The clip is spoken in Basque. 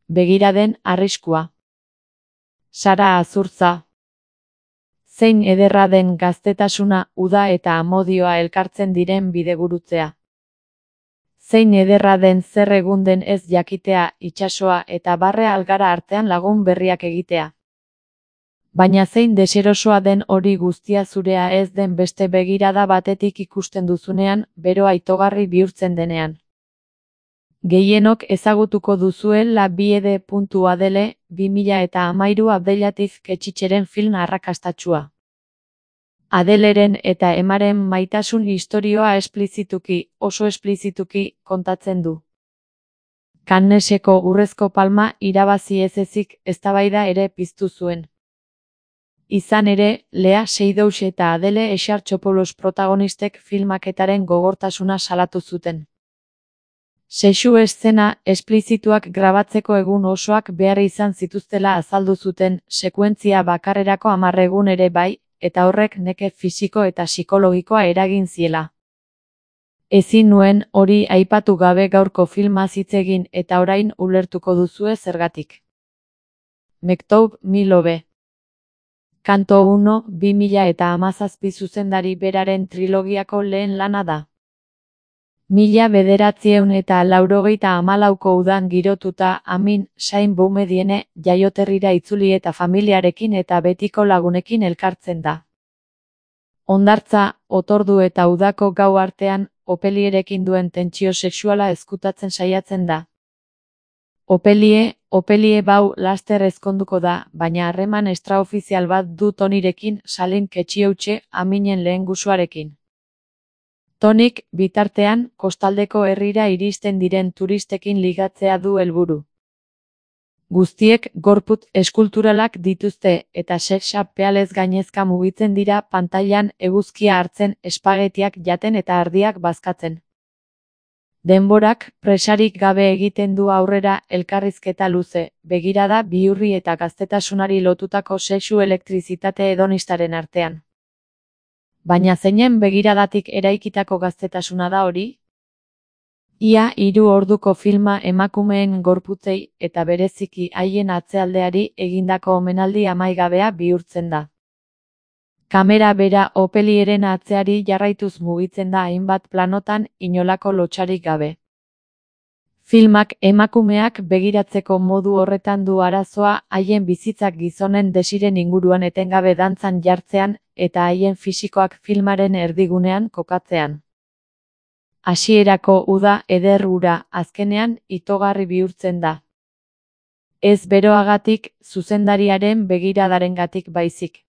begiraden arriskua. Sara Azurtza. Zein ederra den gaztetasuna, uda eta amodioa elkartzen diren bidegurutzea. Zein ederra den zer egun den ez jakitea, itsasoa eta barre algara artean lagun berriak egitea. Baina zein deserosoa den hori guztia zurea ez den beste begirada batetik ikusten duzunean, beroa itogarri bihurtzen denean. Gehienok ezagutuko duzue La Biede. Adele, 2013 Abdelatif Ketxitxeren film arrakastatsua. Adeleren eta emaren maitasun istorioa esplizituki, oso esplizituki, kontatzen du. Canneseko Urrezko Palma irabazi ez ezik eztabaida ere piztu zuen. Izan ere, Lea Seydoux eta Adele Exarchopoulos protagonistek filmaketaren gogortasuna salatu zuten. Sexu eszena esplizituak grabatzeko egun osoak behar izan zituztela azaldu zuten, sekuentzia bakarrerako 10 egun ere bai, eta horrek neke fisiko eta psikologikoa eragin ziela. Ezin nuen hori aipatu gabe gaurko filmaz hitz egin eta orain ulertuko duzue zergatik. Mektoub Milove. Kanto 1, 2017 zuzendari beraren trilogiako lehen lana da. 1984ko udan girotuta, Amin Sain Boumediene jaioterrira itzuli eta familiarekin eta betiko lagunekin elkartzen da. Hondartza, otordu eta udako gau artean, Opelierekin duen tentsio sexuala ezkutatzen saiatzen da. Opelie bau laster ezkonduko da, baina harreman extraofizial bat du Tonyrekin, Salin Ketxioutxe, Aminen lehengusuarekin. Tonik, bitartean, kostaldeko herrira iristen diren turistekin ligatzea du helburu. Guztiek gorputz eskulturalak dituzte eta sex appealez gainezka mugitzen dira pantailan eguzkia hartzen, espagetiak jaten eta ardiak bazkatzen. Denborak, presarik gabe egiten du aurrera elkarrizketa luze, begirada bihurri eta gaztetasunari lotutako sexu elektrizitate hedonistaren artean. Baina zeinen begiradatik eraikitako gaztetasuna da hori? Ia 3 orduko filma emakumeen gorputzei eta bereziki haien atzealdeari egindako omenaldi amaigabea bihurtzen da. Kamera bera Opelieren atzeari jarraituz mugitzen da hainbat planotan inolako lotsarik gabe. Filmak emakumeak begiratzeko modu horretan du arazoa haien bizitzak gizonen desiren inguruan etengabe dantzan jartzean eta haien fisikoak filmaren erdigunean kokatzean. Hasierako uda eder hura azkenean itogarri bihurtzen da. Ez beroagatik, zuzendariaren begiradarengatik baizik.